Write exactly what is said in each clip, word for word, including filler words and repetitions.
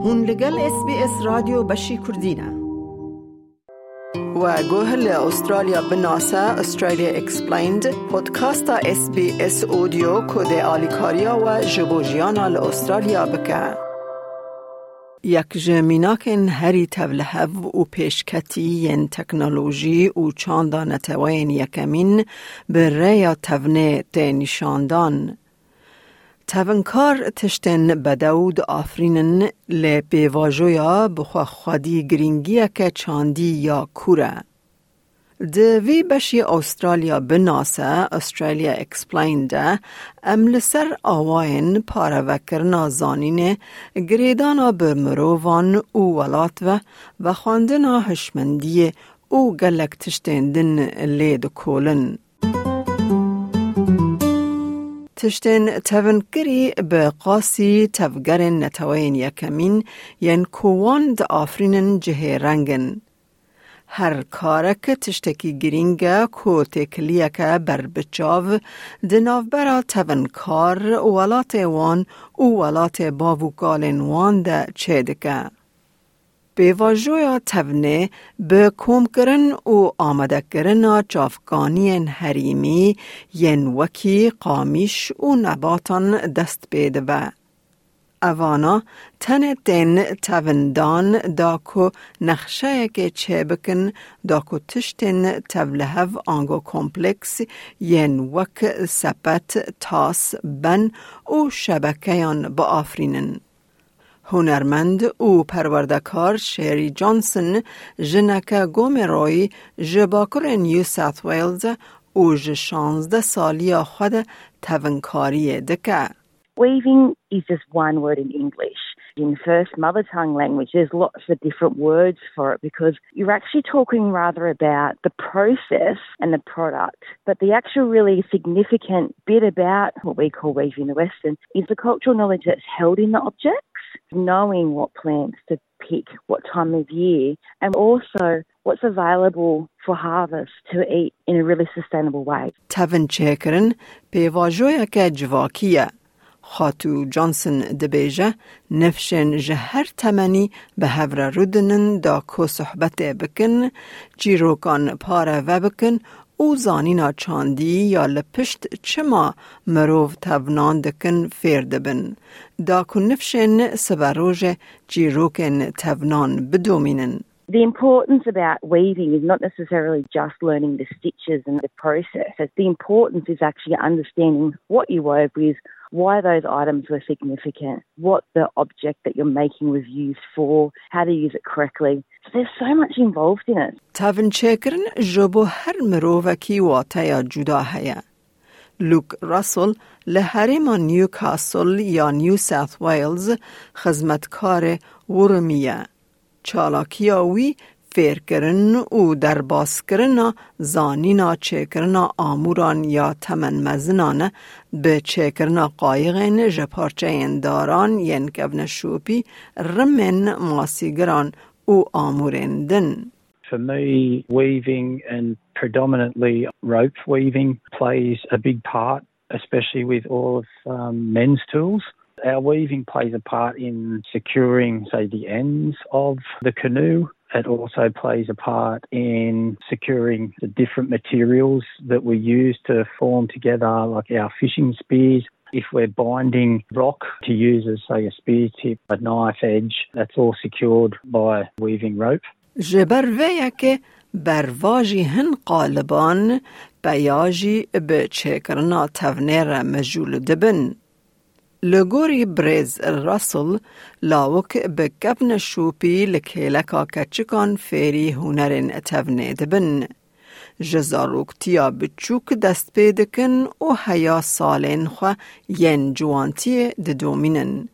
Hûn li gel S B S Radyo Beşî Kurdî ne. We guh li Australya binase, Australia Explained, podcasta S B S Audio ku dê alîkariya we ji bo jiyana li Australya bike. Yek ji mînakên herî tevlihev û pêşketî yên teknolojî û çanda neteweyên yekemîn bi rêya tevnê tê nîşandan. Tevinkar tiştên bedew diafirînin, lê pêvajoya bi xwe xwedî girîngiyeke çandî ya kûr e. Di vî beşî Australya binase, Australia Explained, de em li ser awayên parevekirina zanînê, girêdana bi mirovan û welat ve, vexwendina hişmendiyê û gelek tiştên din lê dikolin. Tiştên tevinkirî bi qasî tevgerên neteweyên yekemîn yên ku wan diafirînin cihê reng in. Her karek tiştekî girîng e ku têkiliyeke berbiçav di navbera tevinkar, welatê wan û welatê bav û kalên wan de çêdike. Pêvajoya tevnê bi komkirin û amadekirina çavkaniyên herêmî yên wekî qamîş û nebatan dest pê dibe. Evana tenê tên tevindan da ku nexşeyekê çêbikin, da ku tiştên tevlihev ango kompleks yên wek sepet, tas, ben û şebekeyan biafirînin. Hunermend û perwerdekar Sherry Johnson, jineke Gomeroyî ji Bakurê New South Wales e û ji şazdeh saliya xwe de tevinkariyê dike. Weaving is just one word in English. In first mother tongue language, there's lots of different words for it because you're actually talking rather about the process and the product. But the actual really significant bit about what we call weaving the Western is the cultural knowledge that's held in the objects, knowing what plants to pick, what time of year, and also what's available for harvest to eat in a really sustainable way. Tevin çêkirin pêvajoyeke civakî ye. Xatû Johnson dibêje, nifşên ji her temenî bi hev re rûdinin da ku sohbetê bikin, çîrokan pareve bikin û zanîna çandî ya li pişt çima mirov tevnan dikin fêr dibin, da ku nifşên siberojê çîrokên tevnan bidomînin. The importance about weaving is not necessarily just learning the stitches and the process. The importance is actually understanding what you wove with, why those items were significant, what the object that you're making was used for, how to use it correctly. So there's so much involved in it. Tevin çêkirin ji bo her mirovekî wateya cuda heye. Luke Russell li herêma Newcastle ya New South Wales xizmetkarê Wurmî ye. Çalakiya wî fêrkirin û derbaskirina zanîna çêkirina amûran ya temenmezinan e, bi çêkirina qayixên ji parçeyên daran yên kevneşopî, rimên masîgiran û amûrên din. For me, weaving and predominantly rope weaving plays a big part, especially with all of, um, men's tools. Our weaving plays a part in securing, say, the ends of the canoe. It also plays a part in securing the different materials that we use to form together, like our fishing spears. If we're binding rock to use as, say, a spear tip, a knife edge, that's all secured by weaving rope. Ji ber vê yekê bervajî hin qaliban peya jî bi çêkirina tevnê re mijûl dibin. Li gorî birêz Russell, lawik bi kevneşopî li kêleka keçikan fêrî hunerên tevnê dibin. Ji zaroktiya biçûk dest pê dikin û heya salên xwe yên ciwantiyê didomînin.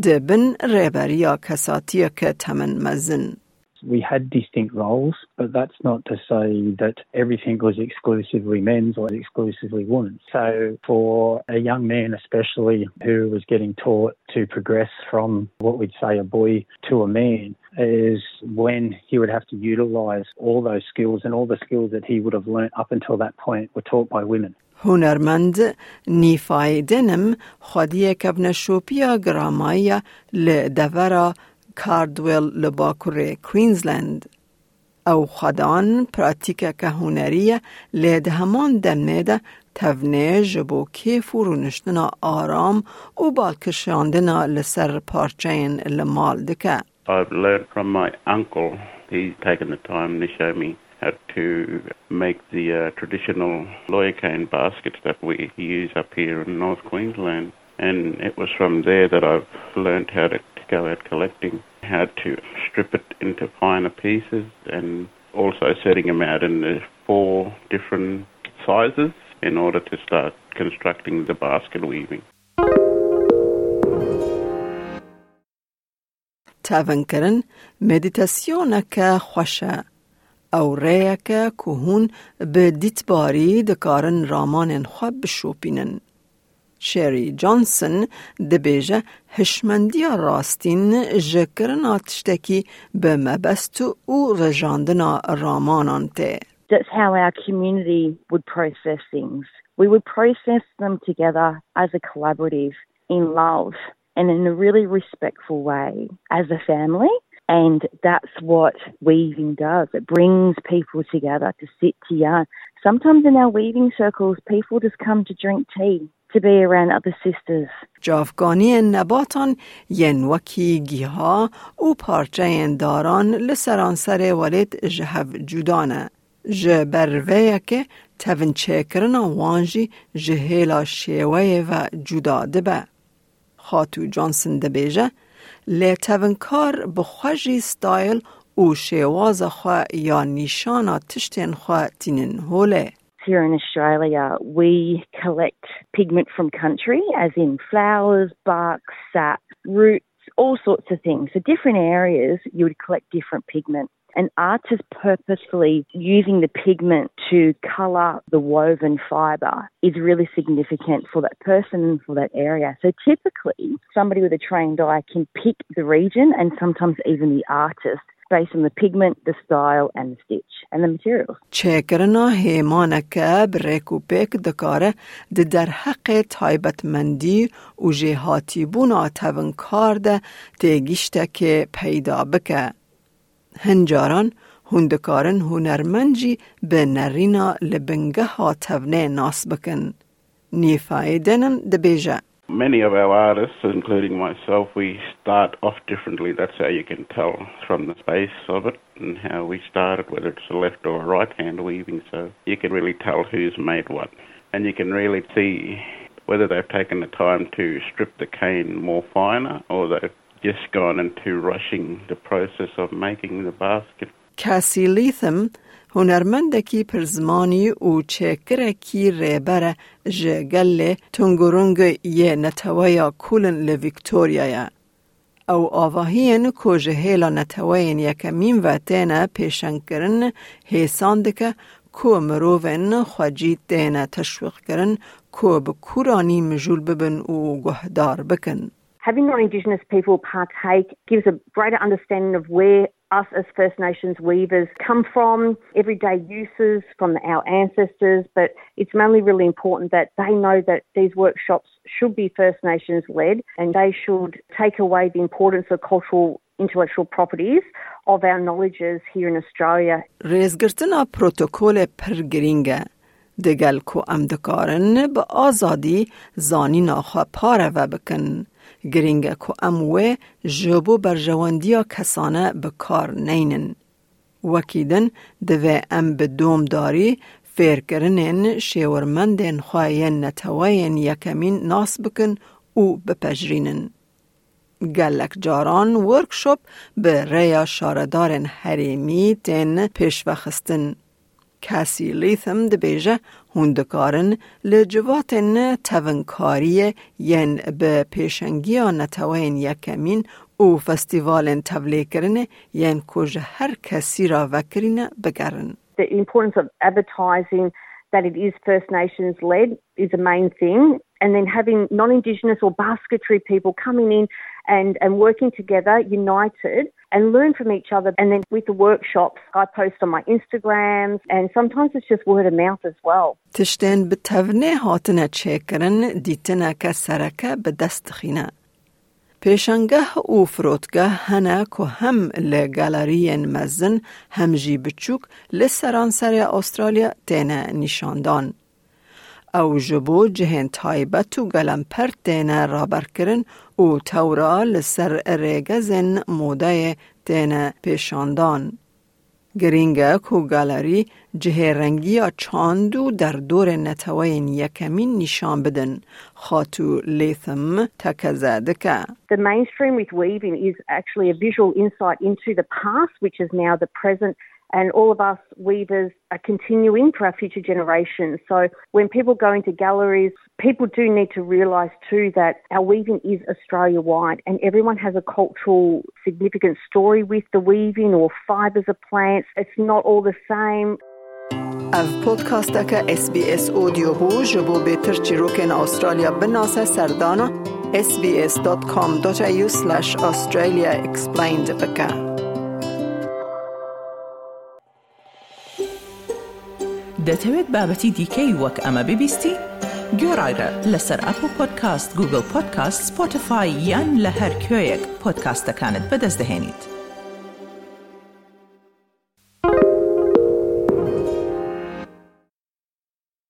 Di bin rêberiya kesatiyeke temin mezin. We had distinct roles, but that's not to say that everything was exclusively men's or exclusively women's. So for a young man especially who was getting taught to progress from what we'd say a boy to a man, is when he would have to utilise all those skills, and all the skills that he would have learnt up until that point were taught by women. Hunermend Nîfay Denim xwediyê kevneşopiya giramayî ya li devera Cardwell li bakurê Queensland. Ew xwedan pratîkeke hunerî ye, lê di heman demê de tevnê ji bo kêf û rûniştina aram û balkişandina li ser parçeyên li mal dike. I've learned from my uncle. He's taken the time to show me how to make the uh, traditional lawyer cane baskets that we use up here in North Queensland. And it was from there that I've learned how to go out collecting, how to strip it into finer pieces, and also setting them out in the four different sizes in order to start constructing the basket weaving. Tevinkirin meditasyoneke xweş e. Ew rêyeke ku hûn bi dîtbarî dikarin ramanên xwe bişopînin. Sherry Johnson dibêje, hişmendiya rastîn ji kirina tiştekî bi mebest û rejandina ramanan tê. That's how our community would process things. We would process them together as a collaborative, in love, and in a really respectful way as a family. And that's what weaving does. It brings people together to sit to yarn. Sometimes in our weaving circles, people just come to drink tea, to be around other sisters. Çavkaniyên nebatan yên wekî giha û parçeyên daran li seranserê welêt ji hev cuda ne. Ji ber vê yekê tevinçêkirina wan jî ji hêla şêweyê ve cuda dibe. Xatû Johnson dibêje, lê tevinkar bi xwe jî stayl û şêwaza xwe ya nîşana tiştên xwe tînin holê. Here in Australia, we collect pigment from country, as in flowers, bark, sap, roots, all sorts of things. So different areas, you would collect different pigment. An artist purposefully using the pigment to colour the woven fibre is really significant for that person and for that area. So typically, somebody with a trained eye can pick the region and sometimes even the artist based on the pigment, the style and the stitch and the materials. Çêkirina hêmaneke bi rêk û pêk dikare di derheqê taybetmendî û jêhatîbûna tevinkar de têgiştekê peyda bike. Hin caran hûn dikarin hunermend jî bi nerîna li bingeha tevnê nas bikin. Nîfayê Denim dibêje. Many of our artists, including myself, we start off differently. That's how you can tell from the space of it and how we started, whether it's a left or a right hand weaving. So you can really tell who's made what. And you can really see whether they've taken the time to strip the cane more finer or they've just gone into rushing the process of making the basket. Cassie Latham, hunermendekî pirzimanî û çêkirekî rêber e ji gelê Tungurung yê neteweya Kulin li Victoria'ya. Ew avahiyên ku ji hêla neteweyên yekemîn ve têne pêşengkirin hêsan dike ku mirovên xwecî têne teşwîqkirin ku bi kûranî mijûl bibin û guhdar bikin. Having non-Indigenous people partake gives a greater understanding of where us as First Nations weavers come from, everyday uses from our ancestors, but it's mainly really important that they know that these workshops should be First Nations led and they should take away the importance of cultural intellectual properties of our knowledges here in Australia. Rêzgirtina protokolê pir girîng e. Digel ku em dikarin bi azadî zanîna xwe pareve bikin, girîng e ku em wê ji bo berjewendiya kesane bi kar neynin. Wekî din, divê em bi domdarî fêrkirinên şêwirmendên xwe yên neteweyên yekemîn nas bikin û bipejirînin. Gelek caran workshop bi rêya şaredarên herêmî tên pêşvexistin. Cassie Latham dibêje, hûn dikarin li civatên tevinkariyê yên bi pêşengiya neteweyên yekemîn û festîvalên tevlêkirinê yên ku ji her kesî re vekirîne bigerin. The importance of advertising that it is First Nations led is a main thing. And then having non-Indigenous or basketry people coming in and, and working together, united, and learn from each other. And then with the workshops, I post on my Instagrams, and sometimes it's just word of mouth as well. Tiştên bi tevnê hatine çêkirin, dîtineke sereke bi dest dixîne. Pêşangeh û firotgeh hene ku hem li galeriyên mezin hem jî biçûk li seranserê Astralya têne nîşandan. Ew ji bo cihên taybet û gelemper têne raberkirin û tewra li ser rêgezên modeyê têne pêşandan. Girîng e ku galerî cihê rengiya çand û derdorên neteweyên yekemîn nîşan bidin, Xatû Latham tekeze dike. The mainstream with weaving is actually a visual insight into the past, which is now the present, and all of us weavers are continuing for our future generations. So when people go into galleries, people do need to realise too that our weaving is Australia wide, and everyone has a cultural significant story with the weaving or fibres of plants. It's not all the same. Ev podcasteke S B S Audio bû. Ji bo bêtir çîrokên Astralya binase, serdana S B S dot com dot A U slash Australia explained bike. دەتەوێت بابەتی دیکەی وەک ئەمە ببیستی؟ گوێڕایرە لەسەر ئەپڵ پۆدکاست، گوگڵ پۆدکاست، سپۆتیفای یان لە هەر کوێیەک پۆدکاستەکانت بەدەست دەهێنیت.